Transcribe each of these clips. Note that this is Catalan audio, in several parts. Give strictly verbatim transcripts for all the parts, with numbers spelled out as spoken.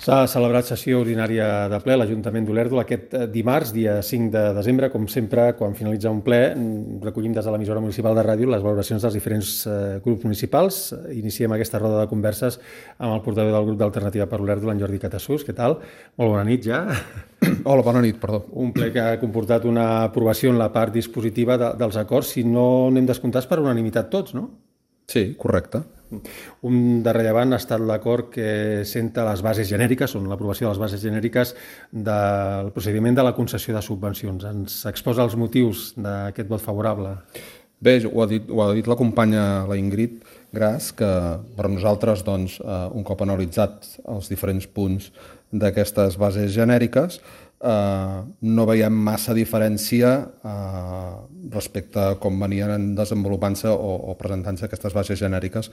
S'ha celebrat sessió ordinària de ple a l'Ajuntament d'Olèrdola aquest dimarts, dia cinc de desembre. Com sempre, quan finalitza un ple, recollim des de l'emissora municipal de ràdio les valoracions dels diferents grups municipals. Iniciem aquesta roda de converses amb el portaveu del grup d'Alternativa per Olèrdola, en Jordi Catasús. Què tal? Molt bona nit ja. Hola, bona nit, perdó. Un ple que ha comportat una aprovació en la part dispositiva de, dels acords, si no anem descomptats per unanimitat tots, no? Sí, correcte. Un de rellevant ha estat l'acord que senta les bases genèriques, on l'aprovació de les bases genèriques del procediment de la concessió de subvencions. Ens exposa els motius d'aquest vot favorable. Bé, ho ha dit, ho ha dit la companya, la Ingrid Gras, que per nosaltres, doncs, un cop analitzat els diferents punts d'aquestes bases genèriques, Uh, no veiem massa diferència uh, respecte a com venien desenvolupant-se o, o presentant-se aquestes bases genèriques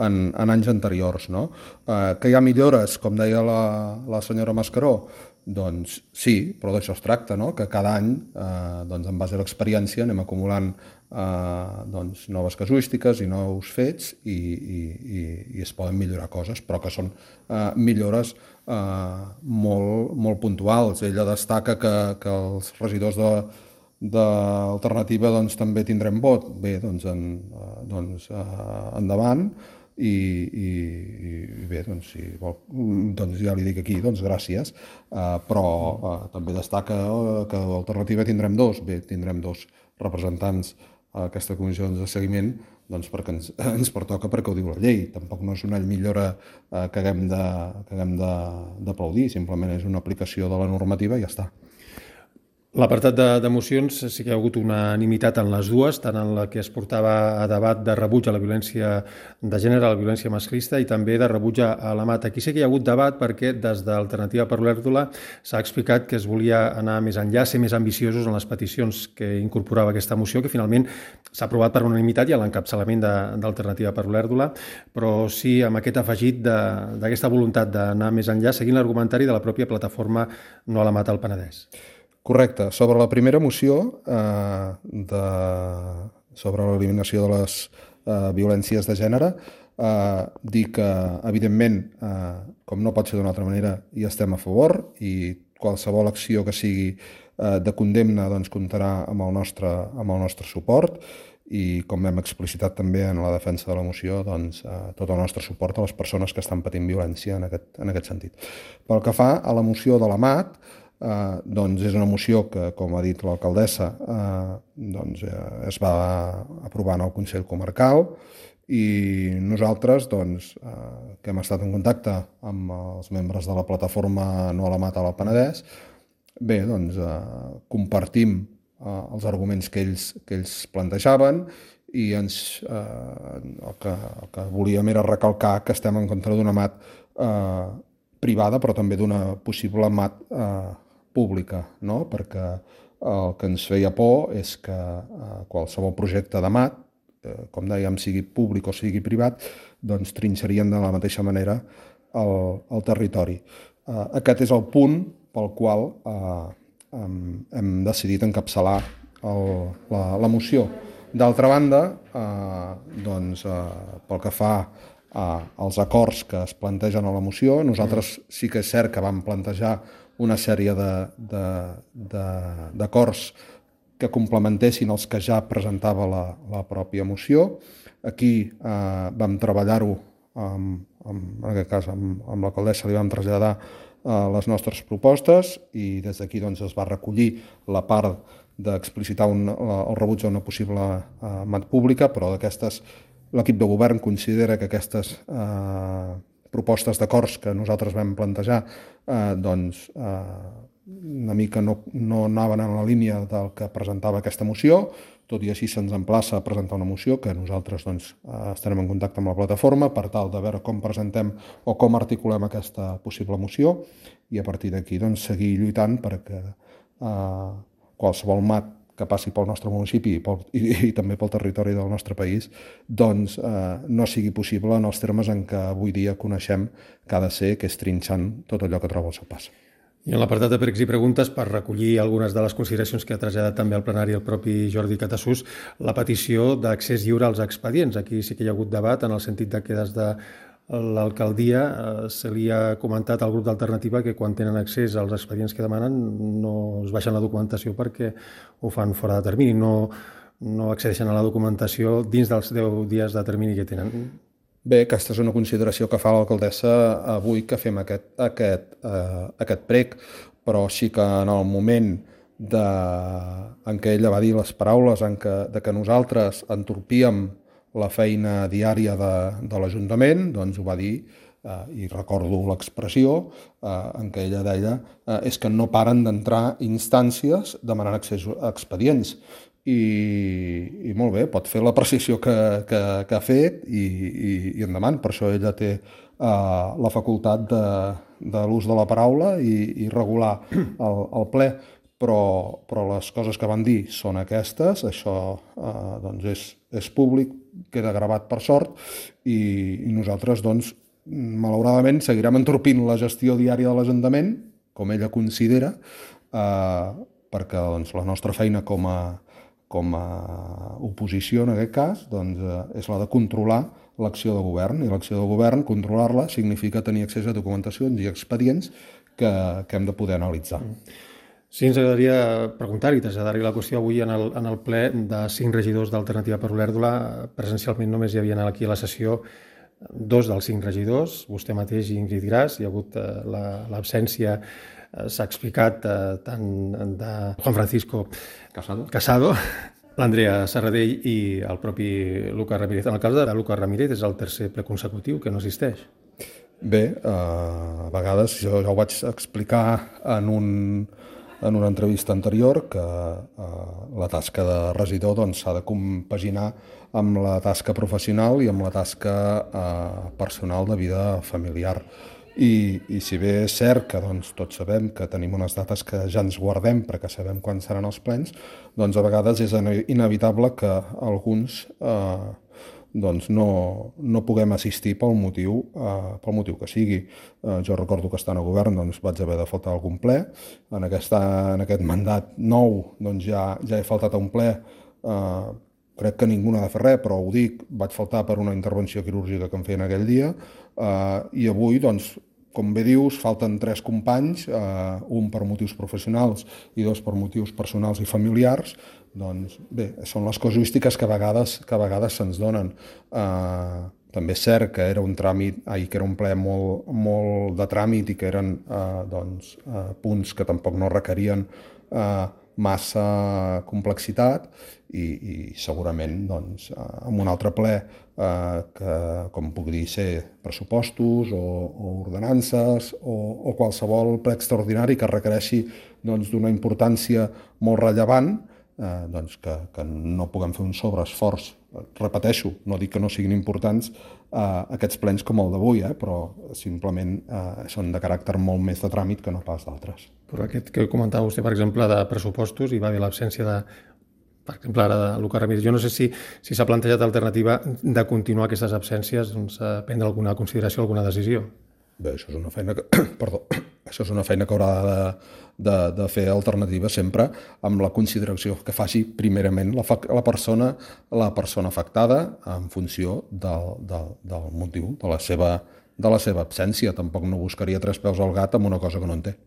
en, en anys anteriors, no? Uh, que hi ha millores, com deia la, la senyora Mascaró, doncs sí, però d'això es tracta, no? Que cada any, uh, doncs, en base a l'experiència, anem acumulant uh, doncs, noves casuístiques i nous fets i, i, i, i es poden millorar coses, però que són uh, millores Uh, molt, molt puntuals. Ella destaca que, que els regidors de, d'Alternativa doncs, també tindrem vot. Bé, doncs, en, uh, doncs uh, endavant i, i, i bé, doncs, si vol, doncs ja li dic aquí, doncs gràcies, uh, però uh, també destaca que Alternativa tindrem dos, bé, tindrem dos representants a aquesta comissió de seguiment, doncs perquè ens, ens pertoca perquè ho diu la llei. Tampoc no és una millora eh, que haguem de, que haguem de, d'aplaudir, simplement és una aplicació de la normativa i ja està. L'apartat de, de mocions sí que hi ha hagut unanimitat en les dues, tant en la que es portava a debat de rebuig a la violència de gènere, a la violència masclista, i també de rebuig a la mata. Aquí sí que hi ha hagut debat perquè des d'Alternativa per Olèrdola s'ha explicat que es volia anar més enllà, ser més ambiciosos en les peticions que incorporava aquesta moció, que finalment s'ha aprovat per unanimitat i a l'encapçalament d'Alternativa per Olèrdola, però sí amb aquest afegit d'aquesta voluntat d'anar més enllà, seguint l'argumentari de la pròpia plataforma No a la Mata al Penedès. Correcte. Sobre la primera moció, eh, de, sobre l'eliminació de les eh, violències de gènere, eh, dir que, evidentment, eh, com no pot ser d'una altra manera, hi estem a favor i qualsevol acció que sigui eh, de condemna doncs, comptarà amb el, nostre, amb el nostre suport i, com hem explicitat també en la defensa de la moció, doncs, eh, tot el nostre suport a les persones que estan patint violència en aquest, en aquest sentit. Pel que fa a la moció de l'A M A T, Uh, doncs és una moció que, com ha dit l'alcaldessa, uh, doncs, uh, es va aprovar en el Consell Comarcal i nosaltres, doncs, uh, que hem estat en contacte amb els membres de la plataforma No a la Mata al Penedès, bé, doncs, uh, compartim uh, els arguments que ells, que ells plantejaven i ens, uh, el, que, el que volíem era recalcar que estem en contra d'una M A T uh, privada, però també d'una possible M A T uh, pública, no? Perquè el que ens feia por és que eh, qualsevol projecte de M A T, eh, com dèiem, sigui públic o sigui privat, doncs trinxarien de la mateixa manera el, el territori. Eh, aquest és el punt pel qual eh, hem, hem decidit encapçalar el, la, la moció. D'altra banda, eh, doncs, eh, pel que fa als acords que es plantegen a la moció, nosaltres sí que és cert que vam plantejar una sèrie d'acords que complementessin els que ja presentava la, la pròpia moció. Aquí eh, vam treballar-ho, amb, amb, en aquest cas amb, amb l'alcaldessa li vam traslladar eh, les nostres propostes i des d'aquí doncs, es va recollir la part d'explicitar un, el rebuig a una possible eh, M A T pública, però d'aquestes l'equip de govern considera que aquestes eh, propostes d'acords que nosaltres vam plantejar eh, doncs, eh, una mica no, no anaven en la línia del que presentava aquesta moció, tot i així se'ns emplaça a presentar una moció que nosaltres doncs, eh, estarem en contacte amb la plataforma per tal de veure com presentem o com articulem aquesta possible moció i a partir d'aquí doncs, seguir lluitant perquè eh, qualsevol M A T que passi pel nostre municipi i, pel, i, i també pel territori del nostre país, doncs eh, no sigui possible en els termes en què avui dia coneixem que ha de ser, que és trinxant tot allò que troba al seu pas. I en l'apartat de pregs i preguntes, per recollir algunes de les consideracions que ha traslladat també al plenari el propi Jordi Catasús, la petició d'accés lliure als expedients. Aquí sí que hi ha hagut debat en el sentit de que des de l'alcaldia eh, se li ha comentat al grup d'Alternativa que quan tenen accés als expedients que demanen no es baixen la documentació perquè ho fan fora de termini, no, no accedeixen a la documentació dins dels deu dies de termini que tenen. Bé, aquesta és una consideració que fa l'alcaldessa avui que fem aquest, aquest, eh, aquest prec, però sí que en el moment de, en què ella va dir les paraules en què, de que nosaltres entorpíem la feina diària de, de l'Ajuntament, doncs ho va dir, eh, i recordo l'expressió eh, en què ella deia eh, és que no paren d'entrar instàncies demanant accés a expedients. I, i molt bé, pot fer la precisió que, que, que ha fet i, i, i endavant. Per això ella té uh, la facultat de, de l'ús de la paraula i, i regular el, el ple, però, però les coses que van dir són aquestes, això uh, doncs és, és públic, queda gravat per sort i, i nosaltres doncs, malauradament seguirem entorpint la gestió diària de l'Ajuntament, com ella considera, uh, perquè doncs, la nostra feina com a com a oposició, en aquest cas, doncs, eh, és la de controlar l'acció de govern. I l'acció de govern, controlar-la, significa tenir accés a documentacions i expedients que, que hem de poder analitzar. Sí, ens agradaria preguntar-hi, traslladar-hi la qüestió avui en el, en el ple de cinc regidors d'Alternativa per Olèrdola. Presencialment només hi havia aquí a la sessió dos dels cinc regidors, vostè mateix i Ingrid Gras. Hi ha hagut eh, l'absència s'ha explicat eh, tant de Juan Francisco Casado, Casado l'Andrea Serradell i el propi Lucas Ramírez. En el cas de Lucas Ramírez és el tercer ple consecutiu que no assisteix. Bé, eh, a vegades jo ja ho vaig explicar en, un, en una entrevista anterior que eh, la tasca de regidor doncs, s'ha de compaginar amb la tasca professional i amb la tasca eh, personal de vida familiar. I, i si bé és cert que doncs, tots sabem que tenim unes dates que ja ens guardem perquè sabem quan seran els plens, doncs a vegades és inevitable que alguns eh, doncs no, no puguem assistir pel motiu, eh, pel motiu que sigui. Eh, jo recordo que estant a govern doncs, vaig haver de faltar algun ple. En, aquesta, en aquest mandat nou doncs, ja, ja he faltat a un ple. Eh, crec que ningú n'ha de fer res, però ho dic, vaig faltar per una intervenció quirúrgica que em feien aquell dia, eh, i avui, doncs, com bé dius, falten tres companys, eh, un per motius professionals i dos per motius personals i familiars. Doncs bé, són les casuístiques que a vegades, que a vegades se'ns donen. Eh, també és cert que era un tràmit, ai, que era un ple molt, molt de tràmit i que eren eh, doncs, eh, punts que tampoc no requerien eh, massa complexitat i, i segurament doncs, en un altre ple eh, que, com puc dir, ser pressupostos o, o ordenances o, o qualsevol ple extraordinari que requereixi doncs, d'una importància molt rellevant, eh, doncs que, que no puguem fer un sobreesforç. Repeteixo, no dic que no siguin importants eh, aquests plens com el d'avui, eh, però simplement eh, són de caràcter molt més de tràmit que no pas d'altres. Però aquest que comentava vostè, per exemple, de pressupostos, hi va haver l'absència de, per exemple, ara de Lucas Ramírez. Jo no sé si si s'ha plantejat l'alternativa de continuar aquestes absències, doncs, a prendre alguna consideració, alguna decisió. Bé, això és una feina que, perdó, això és una feina que haurà de, de, de fer alternativa sempre amb la consideració que faci primerament la, la, persona, la persona afectada en funció del, del, del motiu de la, seva, de la seva absència. Tampoc no buscaria tres peus al gat amb una cosa que no en té.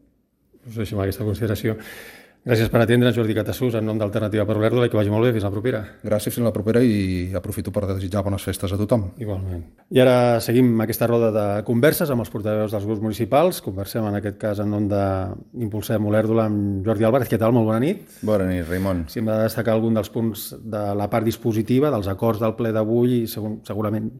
Us deixem aquesta consideració. Gràcies per atendre'ns, Jordi Catassús, en nom d'Alternativa per Olèrdola, i que vagi molt bé. Fins la propera. Gràcies, fins la propera, i aprofito per desitjar bones festes a tothom. Igualment. I ara seguim aquesta roda de converses amb els portaveus dels grups municipals. Conversem, en aquest cas, en nom d'Impulsem Olèrdola amb Jordi Álvarez. Què tal? Molt bona nit. Bona nit, Raimon. Si hem de destacar algun dels punts de la part dispositiva, dels acords del ple d'avui, segurament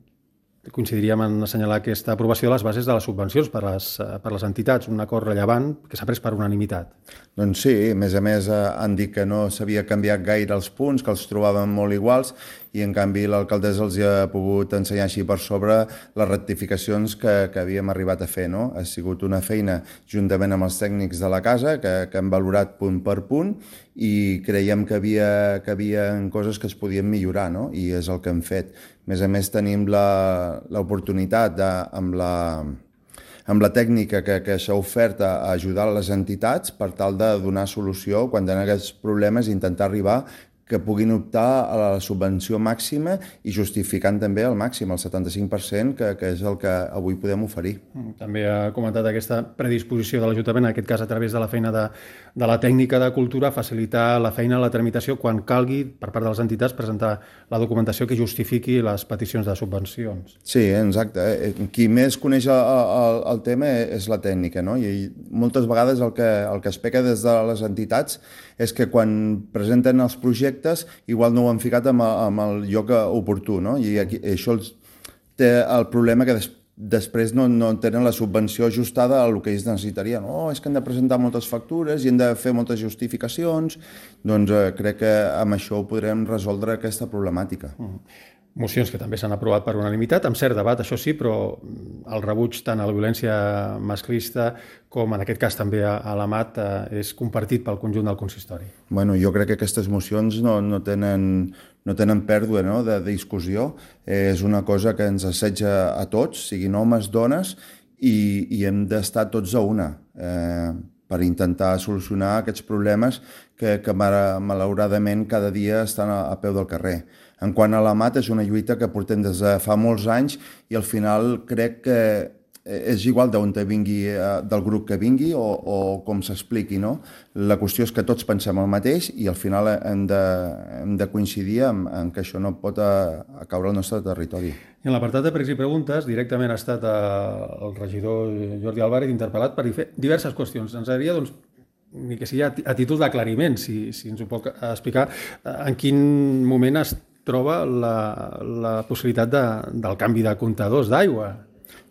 coincidiríem en assenyalar aquesta aprovació de les bases de les subvencions per les, per les entitats, un acord rellevant que s'ha pres per unanimitat. Doncs sí, a més a més han dit que no s'havia canviat gaire els punts, que els trobaven molt iguals, i en canvi l'alcaldessa els ha pogut ensenyar així per sobre les rectificacions que, que havíem arribat a fer. No? Ha sigut una feina juntament amb els tècnics de la casa que, que han valorat punt per punt i creiem que havia, que havia coses que es podien millorar, no? I és el que hem fet. A més a més tenim l'oportunitat de, amb la... amb la tècnica que, que s'ha ofert a ajudar les entitats per tal de donar solució quan tenen aquests problemes i intentar arribar que puguin optar a la subvenció màxima i justificant també el màxim, el setanta-cinc per cent, que, que és el que avui podem oferir. També ha comentat aquesta predisposició de l'Ajuntament, en aquest cas a través de la feina de, de la tècnica de cultura, facilitar la feina, la tramitació, quan calgui, per part de les entitats, presentar la documentació que justifiqui les peticions de subvencions. Sí, exacte. Qui més coneix el, el, el tema és la tècnica, no? I moltes vegades el que, el que es peca des de les entitats és que quan presenten els projectes igual no ho han ficat amb, amb el lloc oportú, no? I aquí, això té el problema que des, després no, no tenen la subvenció ajustada a el que ells necessitarien. Oh, és que han de presentar moltes factures i han de fer moltes justificacions. Doncs eh, crec que amb això ho podrem resoldre aquesta problemàtica. Mm. Mocions que també s'han aprovat per unanimitat, amb cert debat, això sí, però el rebuig tant a la violència masclista com en aquest cas també a l'A M A T eh, és compartit pel conjunt del consistori. Bueno, jo crec que aquestes mocions no, no, tenen, no tenen pèrdua, no?, de discussió. Eh, és una cosa que ens assetja a tots, siguin homes, dones, i, i hem d'estar tots a una eh, per intentar solucionar aquests problemes que, que malauradament cada dia estan a, a peu del carrer. En quant a l'A M A T, és una lluita que portem des de fa molts anys i al final crec que és igual d'on vingui, del grup que vingui o, o com s'expliqui, no? La qüestió és que tots pensem el mateix i al final hem de, hem de coincidir en, en que això no pot a, a caure al nostre territori. I en l'apartat de pregs i preguntes, directament ha estat el regidor Jordi Álvarez interpel·lat per fer diverses qüestions. Ens agradaria, doncs, ni que sigui a títol d'aclariment, si, si ens ho pot explicar, en quin moment es troba la, la possibilitat de, del canvi de comptadors d'aigua.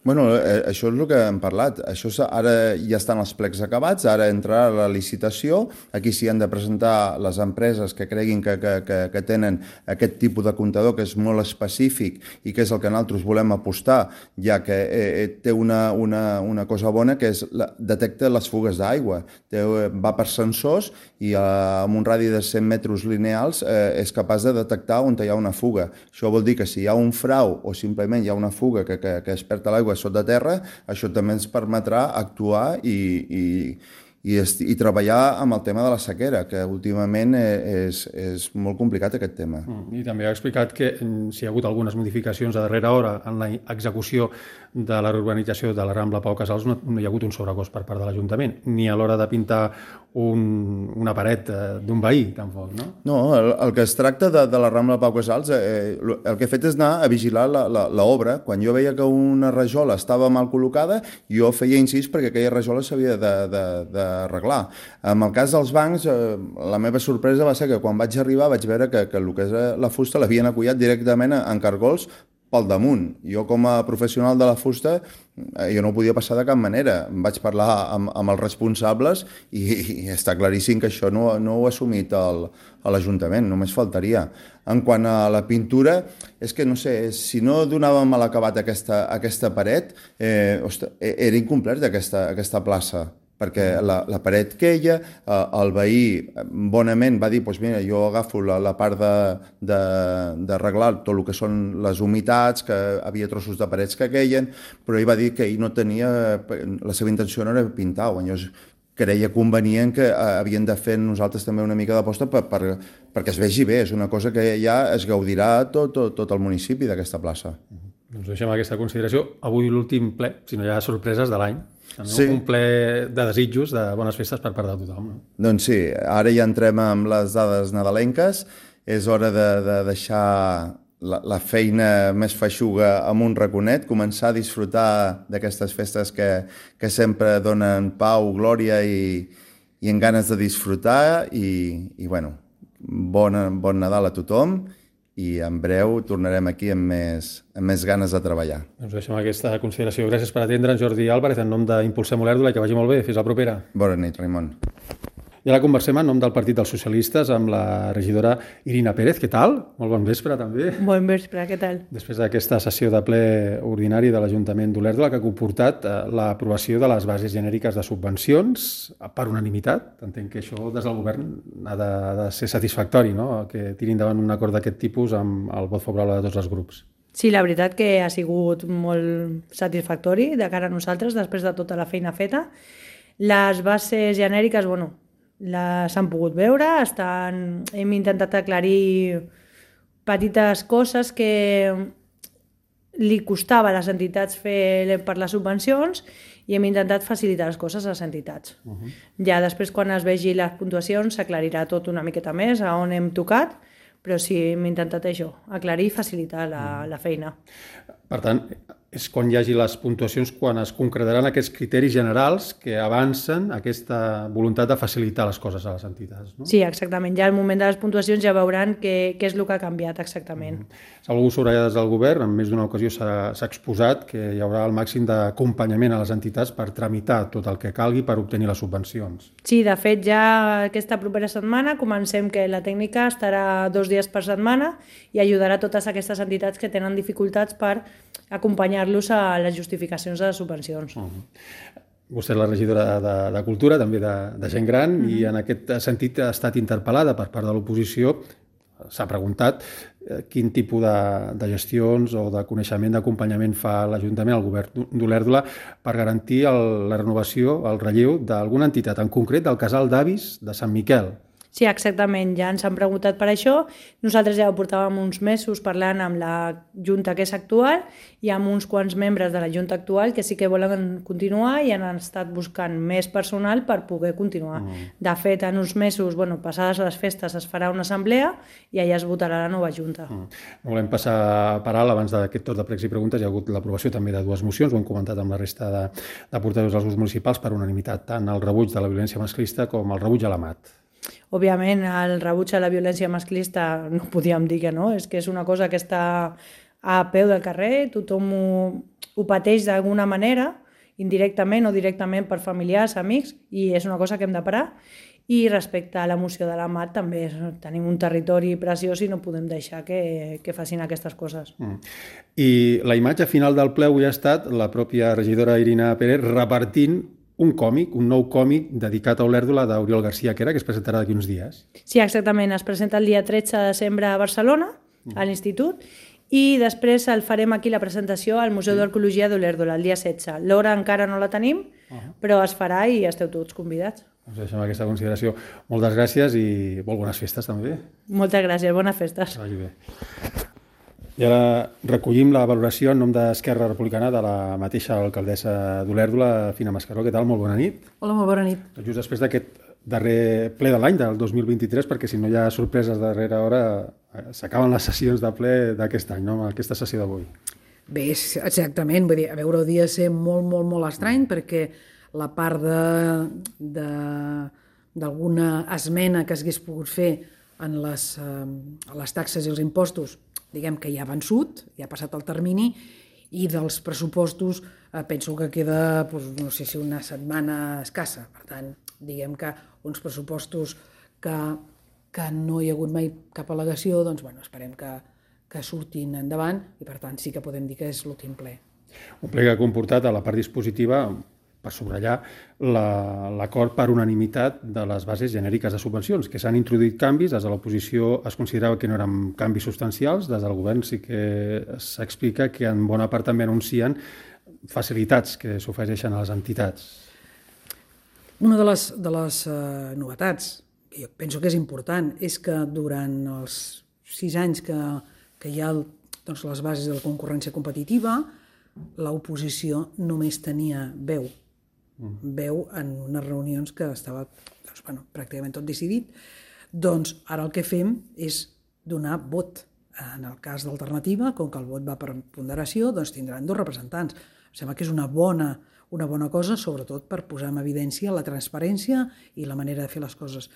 Bueno, això és el que hem parlat. Això ara ja estan els plecs acabats, ara entrarà la licitació. Aquí s'hi han de presentar les empreses que creguin que, que, que, que tenen aquest tipus de comptador que és molt específic i que és el que nosaltres volem apostar, ja que eh, té una, una, una cosa bona que és la, detecta les fugues d'aigua. Va per sensors i eh, amb un radi de cent metres lineals eh, és capaç de detectar on hi ha una fuga. Això vol dir que si hi ha un frau o simplement hi ha una fuga que, que, que es perd l'aigua sota terra, això també ens permetrà actuar i, i, i, i treballar amb el tema de la sequera, que últimament és, és molt complicat aquest tema. I també ha explicat que si hi ha hagut algunes modificacions a darrera hora en la execució de la reurbanització de la Rambla Pau Casals, no, no hi ha hagut un sobrecost per part de l'Ajuntament, ni a l'hora de pintar un, una paret d'un veí, tampoc, no? No, el, el que es tracta de, de la Rambla Pau Casals, eh, el que he fet és anar a vigilar l'obra. Quan jo veia que una rajola estava mal col·locada, jo feia incís perquè aquella rajola s'havia d'arreglar. En el cas dels bancs, eh, la meva sorpresa va ser que quan vaig arribar vaig veure que, que el que és la fusta l'havien acollat directament en cargols pel damunt. Jo, com a professional de la fusta, jo no ho podia passar de cap manera. Em vaig parlar amb, amb els responsables i, i està claríssim que això no, no ho ha assumit el, a l'Ajuntament, només faltaria. En quant a la pintura, és que, no sé, si no donàvem a l'acabat aquesta, aquesta paret, eh, ostres, era incompleta aquesta, aquesta plaça, perquè la, la paret queia, eh, el veí bonament va dir, doncs mira, jo agafo la, la part d'arreglar tot el que són les humitats, que havia trossos de parets que queien, però ell va dir que ell no tenia, la seva intenció no era pintar, o llavors creia convenient que havien de fer nosaltres també una mica d'aposta per, per, perquè es vegi bé, és una cosa que ja es gaudirà tot, tot, tot el municipi d'aquesta plaça. Doncs deixem aquesta consideració. Avui l'últim ple, si no hi ha sorpreses de l'any. Sí. Un ple de desitjos, de bones festes per part de tothom. No? Doncs sí, ara ja entrem amb les dades nadalenques. És hora de, de deixar la, la feina més feixuga amb un raconet, començar a disfrutar d'aquestes festes que, que sempre donen pau, glòria i, i en ganes de disfrutar. I, i bueno, bon, bon Nadal a tothom. I en breu tornarem aquí amb més, amb més ganes de treballar. Doncs deixem aquesta consideració. Gràcies per atendre'ns, Jordi Álvarez, en nom d'Impulsem Olèrdola, i que vagi molt bé. Fins la propera. Bona nit, Raimon. I ara conversem en nom del Partit dels Socialistes amb la regidora Irina Pérez. Què tal? Molt bon vespre, també. Bon vespre, què tal? Després d'aquesta sessió de ple ordinari de l'Ajuntament d'Olèrdola, que ha comportat l'aprovació de les bases genèriques de subvencions per unanimitat. Entenc que això des del govern ha de, de ser satisfactori, no?, que tiri endavant un acord d'aquest tipus amb el vot favorable de tots els grups. Sí, la veritat que ha sigut molt satisfactori de cara a nosaltres després de tota la feina feta. Les bases genèriques, bueno, s'han pogut veure, estan, hem intentat aclarir petites coses que li costava a les entitats fer per les subvencions i hem intentat facilitar les coses a les entitats. Uh-huh. Ja després, quan es vegi les puntuacions, s'aclarirà tot una miqueta més a on hem tocat, però sí, hem intentat això, aclarir i facilitar la, uh-huh. la feina. Per tant, és quan hi hagi les puntuacions, quan es concretaran aquests criteris generals que avancen aquesta voluntat de facilitar les coses a les entitats. No? Sí, exactament. Ja al moment de les puntuacions ja veuran què, què és el que ha canviat exactament. Mm. S'ha volgut subratllar des del govern, en més d'una ocasió s'ha exposat que hi haurà el màxim d'acompanyament a les entitats per tramitar tot el que calgui per obtenir les subvencions. Sí, de fet, ja aquesta propera setmana comencem que la tècnica estarà dos dies per setmana i ajudarà a totes aquestes entitats que tenen dificultats per acompanyar-los a les justificacions de les subvencions. Uh-huh. Vostè és la regidora de, de Cultura, també de, de gent gran, uh-huh. i en aquest sentit ha estat interpel·lada per part de l'oposició. S'ha preguntat eh, quin tipus de, de gestions o de coneixement, d'acompanyament fa l'Ajuntament, el govern d'Olèrdola, per garantir el, la renovació, el relleu d'alguna entitat, en concret del Casal d'Avis de Sant Miquel. Sí, exactament, ja ens han preguntat per això. Nosaltres ja ho portàvem uns mesos parlant amb la Junta que és actual i amb uns quants membres de la Junta actual que sí que volen continuar i han estat buscant més personal per poder continuar. Mm. De fet, en uns mesos, bueno, passades les festes, es farà una assemblea i allà es votarà la nova Junta. Mm. No volem passar per alt, abans d'aquest torn de pregs i preguntes, hi ha hagut l'aprovació també de dues mocions, ho hem comentat amb la resta de, de portaveus dels grups municipals per unanimitat, tant el rebuig de la violència masclista com el rebuig a la mat. Òbviament, el rebuig a la violència masclista no podíem dir que no, és que és una cosa que està a peu del carrer, tothom ho, ho pateix d'alguna manera, indirectament o directament per familiars, amics, i és una cosa que hem de parar. I respecte a la moció de la mat, també tenim un territori preciós i no podem deixar que, que facin aquestes coses. Mm. I la imatge final del ple avui ha estat la pròpia regidora Irina Pérez repartint un còmic, un nou còmic dedicat a Olèrdola d'Oriol García Quera, que es presentarà d'aquí uns dies. Sí, exactament. Es presenta el dia tretze de desembre a Barcelona, a l'Institut, i després el farem aquí la presentació al Museu d'Arqueologia d'Olèrdola, el dia setze. L'hora encara no la tenim, però es farà i esteu tots convidats. Doncs deixem aquesta consideració. Moltes gràcies i molt bones festes, també. Moltes gràcies, bones festes. Que vagi bé. I ara recollim la valoració en nom d'Esquerra Republicana de la mateixa alcaldessa d'Olèrdola, Fina Mascaró. Què tal? Molt bona nit. Hola, molt bona nit. Just després d'aquest darrer ple de l'any, del dos mil vint-i-tres, perquè si no hi ha sorpreses de darrera hora, s'acaben les sessions de ple d'aquest any, no? Aquesta sessió d'avui. Bé, exactament. Vull dir, a veure, hauria de ser molt, molt, molt estrany, perquè la part de d'alguna esmena que s'hagués pogut fer en les, eh, les taxes i els impostos, diguem que ja ha vençut, ja ha passat el termini, i dels pressupostos eh, penso que queda, doncs, no sé si una setmana escassa. Per tant, diguem que uns pressupostos que, que no hi ha hagut mai cap al·legació, doncs bueno, esperem que, que surtin endavant i per tant sí que podem dir que és l'últim ple. Un ple que ha comportat a la part dispositiva, per subratllar, l'acord per unanimitat de les bases genèriques de subvencions, que s'han introduït canvis, des de l'oposició es considerava que no eren canvis substancials, des del govern sí que s'explica que en bona part també anuncien facilitats que s'ofereixen a les entitats. Una de les, de les uh, novetats, que jo penso que és important, és que durant els sis anys que, que hi ha el, doncs, les bases de la concurrència competitiva, l'oposició només tenia veu. veu en unes reunions que estava doncs, bueno, pràcticament tot decidit. Doncs ara el que fem és donar vot. En el cas d'alternativa, com que el vot va per ponderació, doncs tindran dos representants. Em sembla que és una bona, una bona cosa, sobretot per posar en evidència la transparència i la manera de fer les coses.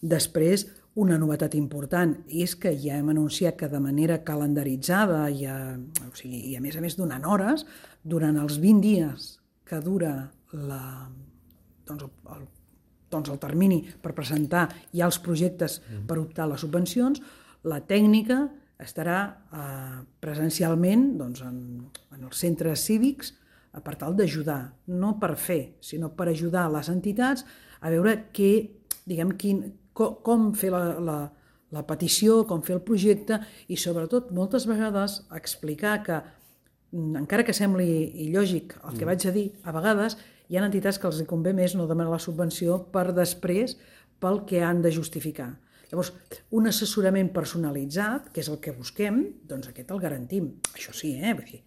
Després, una novetat important és que ja hem anunciat que de manera calendaritzada i a, o sigui, i a més a més donant hores, durant els vint dies que dura la, doncs el, doncs el termini per presentar ja els projectes per optar a les subvencions, la tècnica estarà eh, presencialment doncs, en, en els centres cívics eh, per tal d'ajudar, no per fer, sinó per ajudar les entitats a veure què, diguem, quin, com, com fer la, la, la petició, com fer el projecte i sobretot moltes vegades explicar que, encara que sembli il·lògic el que vaig a dir, a vegades hi ha entitats que els convé més no demanar la subvenció per després pel que han de justificar. Llavors, un assessorament personalitzat, que és el que busquem, doncs aquest el garantim. Això sí, eh? Vull dir,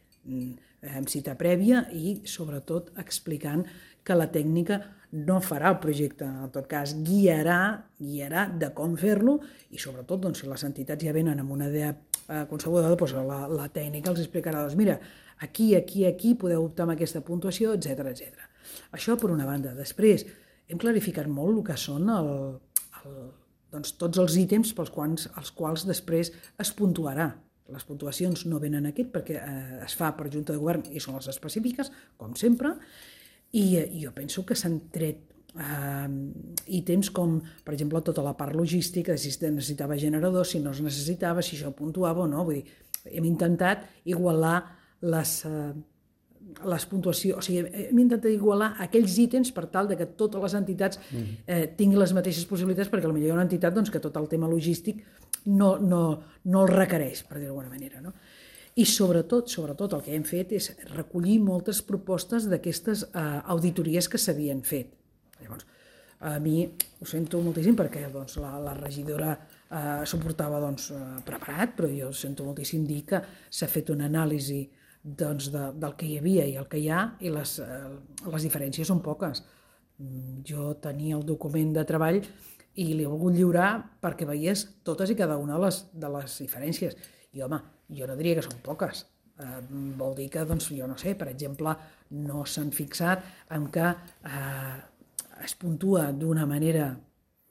amb cita prèvia i, sobretot, explicant que la tècnica no farà el projecte, en tot cas guiarà, guiarà de com fer-lo i, sobretot, doncs, si les entitats ja venen amb una idea eh, concebuda, doncs la, la tècnica els explicarà, doncs mira, aquí, aquí, aquí podeu optar amb aquesta puntuació, etcètera, etcètera. Això per una banda. Després, hem clarificat molt el que són el, el, doncs, tots els ítems pels quals, els quals després es puntuarà. Les puntuacions no venen aquí perquè eh, es fa per Junta de Govern i són les específiques, com sempre, i eh, jo penso que s'han tret eh, ítems com, per exemple, tota la part logística, si es necessitava generador, si no es necessitava, si això puntuava o no. Vull dir, hem intentat igualar les... Eh, les puntuacions, o sigui, hem intentat igualar aquells ítems per tal de que totes les entitats eh, tinguin les mateixes possibilitats, perquè potser hi ha una entitat doncs, que tot el tema logístic no, no, no el requereix, per dir-ho d'alguna manera. No? I sobretot, sobretot el que hem fet és recollir moltes propostes d'aquestes eh, auditories que s'havien fet. Llavors, a mi ho sento moltíssim perquè doncs, la, la regidora eh, s'ho portava doncs, preparat, però jo sento moltíssim dir que s'ha fet una anàlisi doncs, de, del que hi havia i el que hi ha, i les, eh, les diferències són poques. Jo tenia el document de treball i li he volgut lliurar perquè veies totes i cada una de les, de les diferències. I, home, jo no diria que són poques. Eh, vol dir que, doncs, jo no sé, per exemple, no s'han fixat en que eh, es puntua d'una manera...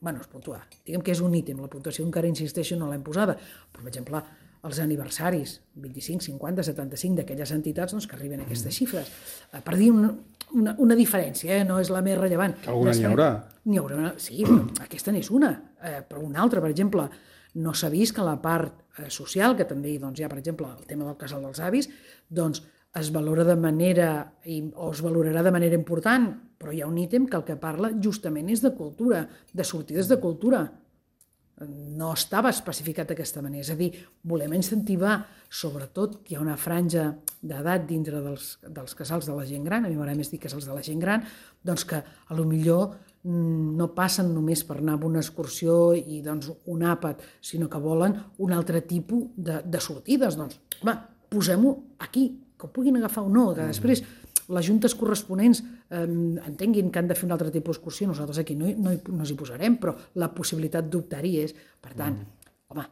Bueno, es puntua. Diguem que és un ítem. La puntuació encara insisteixo, no l'hem posada. Per exemple, els aniversaris, vint-i-cinc, cinquanta, setanta-cinc d'aquelles entitats doncs, que arriben a aquestes xifres. Per dir una, una, una diferència, eh? No és la més rellevant. Que alguna n'hi haurà. N'hi haurà una, sí, però aquesta n'és una. Eh, però una altra, per exemple, no s'ha vist que la part eh, social, que també doncs, hi ha, per exemple, el tema del casal dels avis, doncs es valora de manera, o es valorarà de manera important, però hi ha un ítem que el que parla justament és de cultura, de sortides de cultura. No estava especificat d'aquesta manera. És a dir, volem incentivar, sobretot, que hi ha una franja d'edat dintre dels, dels casals de la gent gran, a mi m'agrada més dir casals de la gent gran, doncs que a lo millor no passen només per anar a una excursió i doncs, un àpat, sinó que volen un altre tipus de, de sortides. Doncs, home, posem-ho aquí, que ho puguin agafar o no, que després les juntes corresponents eh, entenguin que han de fer un altre tipus d'excursió, nosaltres aquí no, no, no ens hi posarem, però la possibilitat d'optar-hi és. Per tant, mm. home,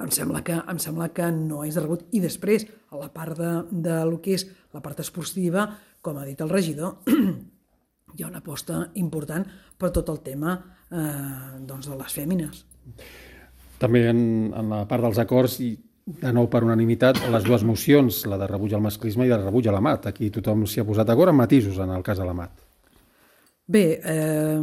em sembla, que, em sembla que no és de rebut. I després, a la part de, de lo que és la part esportiva, com ha dit el regidor, hi ha una aposta important per tot el tema eh, doncs de les fèmines. També en, en la part dels acords, i de nou per unanimitat, les dues mocions, la de rebuig al masclisme i de rebuig a l'Amat. Aquí tothom s'hi ha posat d'acord amb matisos en el cas de l'Amat. Bé, eh,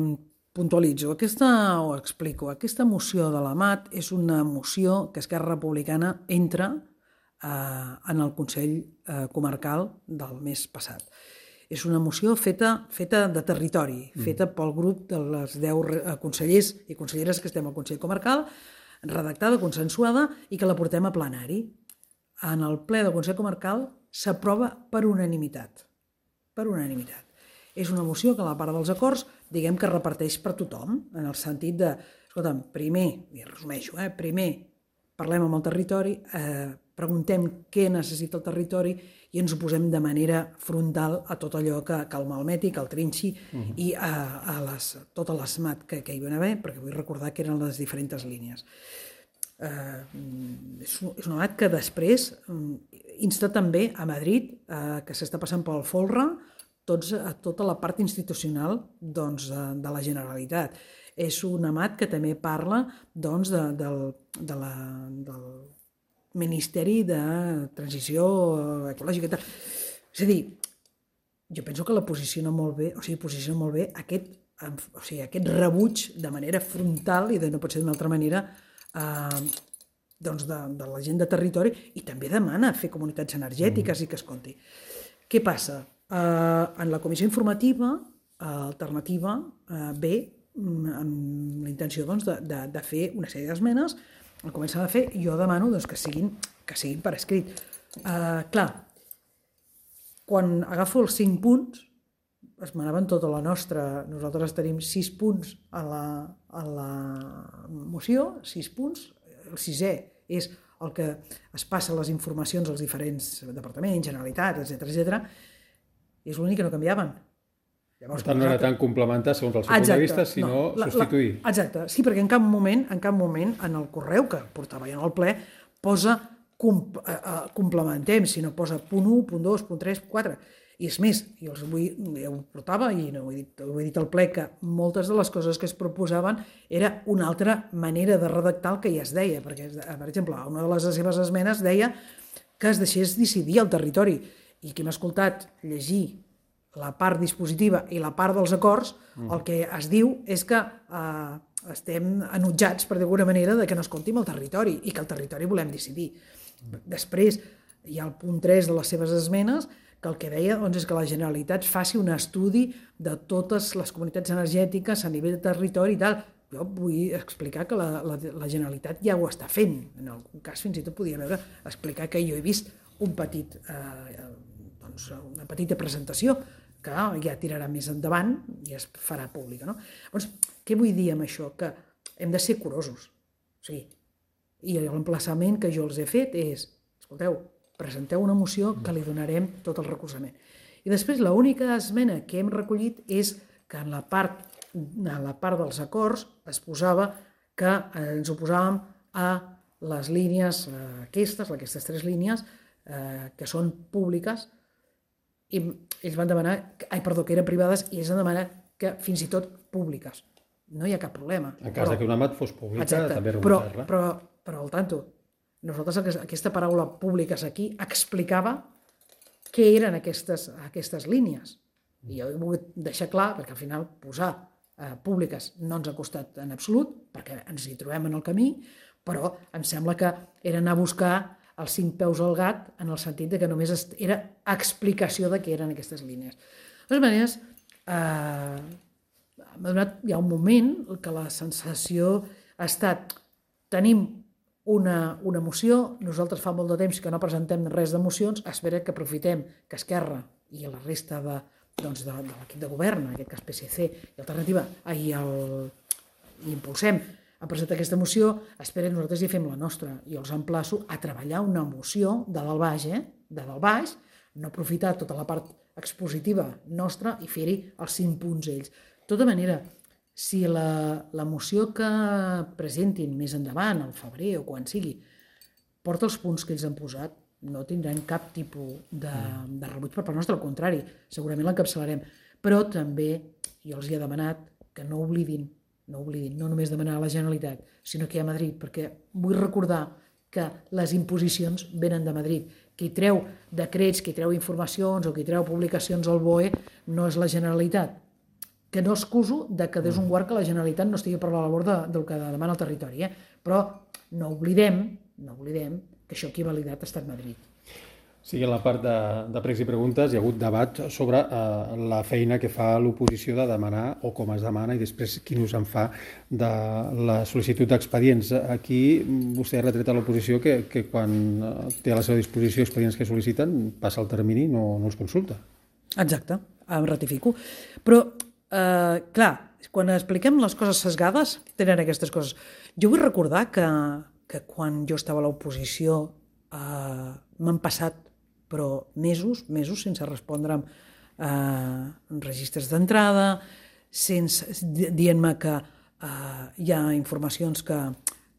puntualitzo, aquesta, o explico, aquesta moció de l'Amat és una moció que Esquerra Republicana entra eh, en el Consell eh, Comarcal del mes passat. És una moció feta, feta de territori, mm. feta pel grup de les deu consellers i conselleres que estem al Consell Comarcal, redactada, consensuada, i que la portem a plenari. En el ple del Consell Comarcal s'aprova per unanimitat. Per unanimitat. És una moció que a la part dels acords, diguem que reparteix per tothom, en el sentit de, escolta'm, primer, i resumeixo, eh, primer parlem amb el territori, eh, preguntem què necessita el territori i ens ho posem de manera frontal a tot allò que, que el malmeti, que el trinxi uh-huh. i a, a les, totes les mat que, que hi van haver, perquè vull recordar que eren les diferents línies. Eh, és, és una mat que després insta també a Madrid, eh, que s'està passant pel folre, tots, a tota la part institucional doncs, de, de la Generalitat. És un amat que també parla doncs, de, del, de la, del Ministeri de Transició Ecològica. És a dir, jo penso que la posiciona molt bé, o sigui, posiciona molt bé aquest, o sigui, aquest rebuig de manera frontal, i de, no pot ser d'una altra manera, eh, doncs de, de la gent de territori, i també demana fer comunitats energètiques mm. i que es compti. Què passa? Eh, en la comissió informativa eh, alternativa eh, ve amb la intenció doncs, de, de, de fer una sèrie d'esmenes, el comencen a fer, i jo demano doncs, que, siguin, que siguin per escrit. Eh, clar, quan agafo els cinc punts, es manaven tota la nostra. Nosaltres tenim sis punts a la, a la moció, sis punts. El sisè és el que es passa les informacions als diferents departaments, Generalitat, etcètera, etcètera. És l'únic que no canviaven. Llavors, per tant, no era tan complementar segons el seu punt de vista, sinó no, la, substituir. La, exacte, sí, perquè en cap moment, en cap moment, en el correu que portava ja en el ple, posa com, eh, eh, complementem, sinó posa punt u, punt dos, punt tres, punt quatre. I és més, jo els vull, ja ho portava i no ho he dit, ho he dit al ple, que moltes de les coses que es proposaven era una altra manera de redactar el que ja es deia, perquè, per exemple, una de les seves esmenes deia que es deixés decidir el territori, i qui m'ha escoltat llegir la part dispositiva i la part dels acords, mm. el que es diu és que eh, estem enutjats, per d'alguna manera, de que no escoltim el territori i que el territori volem decidir. Mm. Després hi ha el punt tres de les seves esmenes, que el que deia doncs, és que la Generalitat faci un estudi de totes les comunitats energètiques a nivell de territori i tal. Jo vull explicar que la, la, la Generalitat ja ho està fent. En algun cas fins i tot podia veure, explicar que jo he vist un petit, eh, doncs, una petita presentació que ja tirarà més endavant i es farà pública. No? Doncs, què vull dir amb això? Que hem de ser curosos. O sigui, i l'emplaçament que jo els he fet és, escolteu, presenteu una moció que li donarem tot el recolzament. I després l'única esmena que hem recollit és que en la part, en la part dels acords es posava que ens oposàvem a les línies aquestes, aquestes tres línies, eh, que són públiques, i ells van demanar, ai, perdó, que eren privades, i ells van demanar que fins i tot públiques. No hi ha cap problema. En cas però, que una mat fos pública, exacte, també rebutjar-la. Però, però, però al tanto, nosaltres aquesta paraula públiques aquí explicava què eren aquestes, aquestes línies. I jo he volgut deixar clar, perquè al final posar eh, públiques no ens ha costat en absolut, perquè ens hi trobem en el camí, però em sembla que era anar a buscar els cinc peus al gat en el sentit de que només era explicació de què eren aquestes línies. De totes maneres, eh, m'ha donat ja un moment que la sensació ha estat tenim una, una moció, nosaltres fa molt de temps que no presentem res de mocions, espera que aprofitem que Esquerra i la resta de, doncs de, de l'equip de govern, en aquest cas P S C i Alternativa, i, el, i impulsem a presentar aquesta moció, espera, nosaltres hi fem la nostra. I els emplaço a treballar una moció de dalt baix, eh? de dalt baix, no aprofitar tota la part expositiva nostra i fer-hi els cinc punts ells. De tota manera, si la, la moció que presentin més endavant, al febrer o quan sigui, porta els punts que ells han posat, no tindran cap tipus de, de rebuig per part nostra, al contrari, segurament l'encapçalarem. Però també jo els hi he demanat que no oblidin, no oblidin, no només demanar a la Generalitat, sinó que hi ha a Madrid, perquè vull recordar que les imposicions venen de Madrid. Qui treu decrets, qui treu informacions o qui treu publicacions al B O E no és la Generalitat. Que no excuso de que des un guard que la Generalitat no estigui per la labor de, del que demana el territori, eh? Però no oblidem, no oblidem que això qui ha validat ha estat Madrid. Sí, en la part de, de pregs i preguntes hi ha hagut debat sobre eh, la feina que fa l'oposició de demanar o com es demana i després quin ús en fa de la sol·licitud d'expedients. Aquí vostè ha retret a l'oposició que, que quan té a la seva disposició expedients que sol·liciten passa el termini i no, no els consulta. Exacte, em ratifico. Però, eh, clar, quan expliquem les coses sesgades tenen aquestes coses. Jo vull recordar que, que quan jo estava a l'oposició eh, m'han passat però mesos, mesos sense respondre amb eh, registres d'entrada, sense dient-me que eh, hi ha informacions que,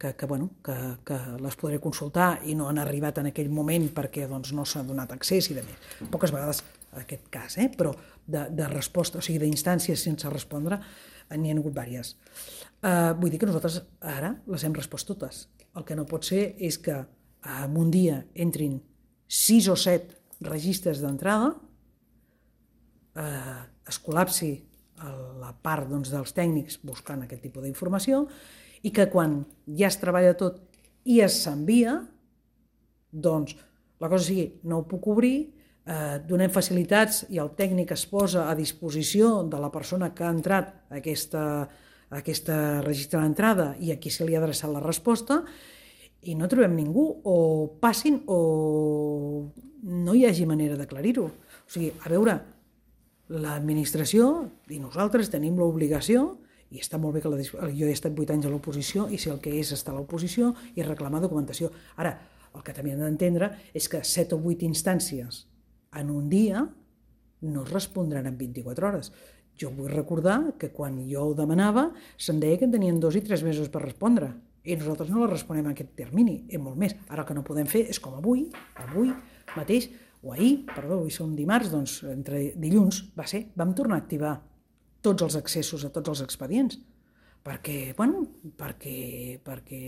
que, que, bueno, que, que les podré consultar i no han arribat en aquell moment perquè doncs, no s'ha donat accés i de més. Poques vegades en aquest cas, eh? Però de, de resposta, o sigui, d'instàncies sense respondre, n'hi ha hagut diverses. Eh, vull dir que nosaltres ara les hem respost totes. El que no pot ser és que en un dia entrin sis o set registres d'entrada, eh, es col·lapsi la part doncs, dels tècnics buscant aquest tipus d'informació i que quan ja es treballa tot i es s'envia, doncs la cosa sigui, no ho puc obrir, eh, donem facilitats i el tècnic es posa a disposició de la persona que ha entrat a aquesta, a aquesta registre d'entrada i a qui se li ha adreçat la resposta, i no trobem ningú, o passin o no hi hagi manera d'aclarir-ho. O sigui, a veure, l'administració i nosaltres tenim l'obligació, i està molt bé que la, jo he estat vuit anys a l'oposició i si el que és estar a l'oposició i reclamar documentació. Ara, el que també hem d'entendre és que set o vuit instàncies en un dia no es respondran en vint-i-quatre hores. Jo vull recordar que quan jo ho demanava se'm deia que en tenien dos i tres mesos per respondre i nosaltres no la responem en aquest termini, és molt més. Ara el que no podem fer és com avui, avui mateix, o ahir, perdó, avui som dimarts, doncs entre dilluns va ser, vam tornar a activar tots els accessos a tots els expedients, perquè, bueno, perquè, perquè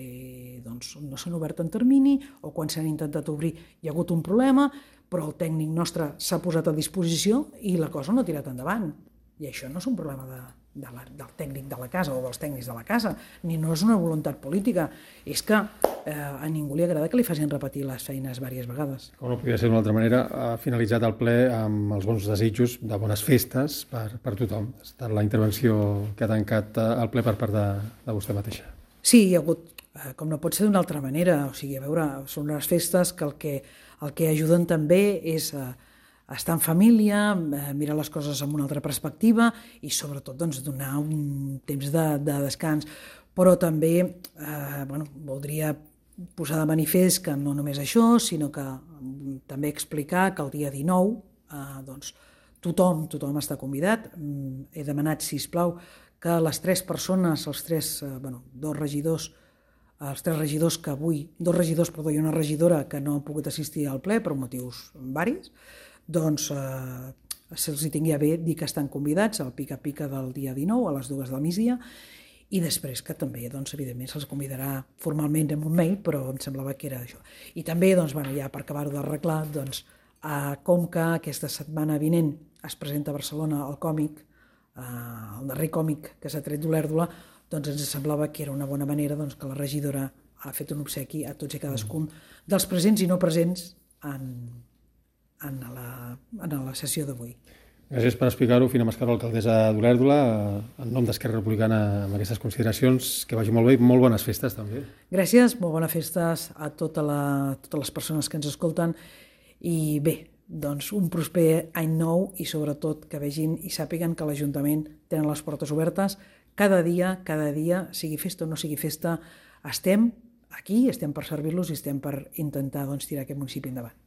doncs, no s'han obert en termini o quan s'han intentat obrir hi ha hagut un problema, però el tècnic nostre s'ha posat a disposició i la cosa no ha tirat endavant. I això no és un problema de, de la, del tècnic de la casa o dels tècnics de la casa, ni no és una voluntat política, és que eh, a ningú li agrada que li facin repetir les feines diverses vegades. Com no podia ser d'una altra manera, ha finalitzat el ple amb els bons desitjos de bones festes per, per tothom. Ha estat la intervenció que ha tancat el ple per part de, de vostè mateixa. Sí, hi ha hagut, eh, com no pot ser d'una altra manera, o sigui, a veure, són unes festes que el que, el que ajuden també és eh, estar en família, eh, mirar les coses amb una altra perspectiva i sobretot doncs, donar un temps de, de descans. Però també eh, bueno, voldria posar de manifest que no només això, sinó que també explicar que el dia dinou eh, doncs, tothom, tothom està convidat. He demanat, sisplau, que les tres persones, els tres, eh, bueno, dos regidors, els tres regidors que avui, dos regidors, perdó, i una regidora que no han pogut assistir al ple per motius varis, doncs eh, se'ls hi tingui a bé dir que estan convidats al pica-pica del dia dinou a les dues del migdia i després que també, doncs, evidentment, se'ls convidarà formalment en un mail, però em semblava que era això. I també, doncs, bueno, ja per acabar-ho d'arreglar, doncs, eh, com que aquesta setmana vinent es presenta a Barcelona el còmic, eh, el darrer còmic que s'ha tret d'Olèrdola, doncs ens semblava que era una bona manera doncs, que la regidora ha fet un obsequi a tots i cadascun dels presents i no presents en, en, la, en la sessió d'avui. Gràcies per explicar-ho, Fina Mascaró, alcaldessa d'Olèrdola, en nom d'Esquerra Republicana amb aquestes consideracions. Que vagi molt bé i molt bones festes també. Gràcies, molt bones festes a tota la, totes les persones que ens escolten i bé, doncs un prosper any nou i sobretot que vegin i sàpiguen que l'Ajuntament tenen les portes obertes cada dia, cada dia, sigui festa o no sigui festa, estem aquí, estem per servir-los i estem per intentar doncs, tirar aquest municipi endavant.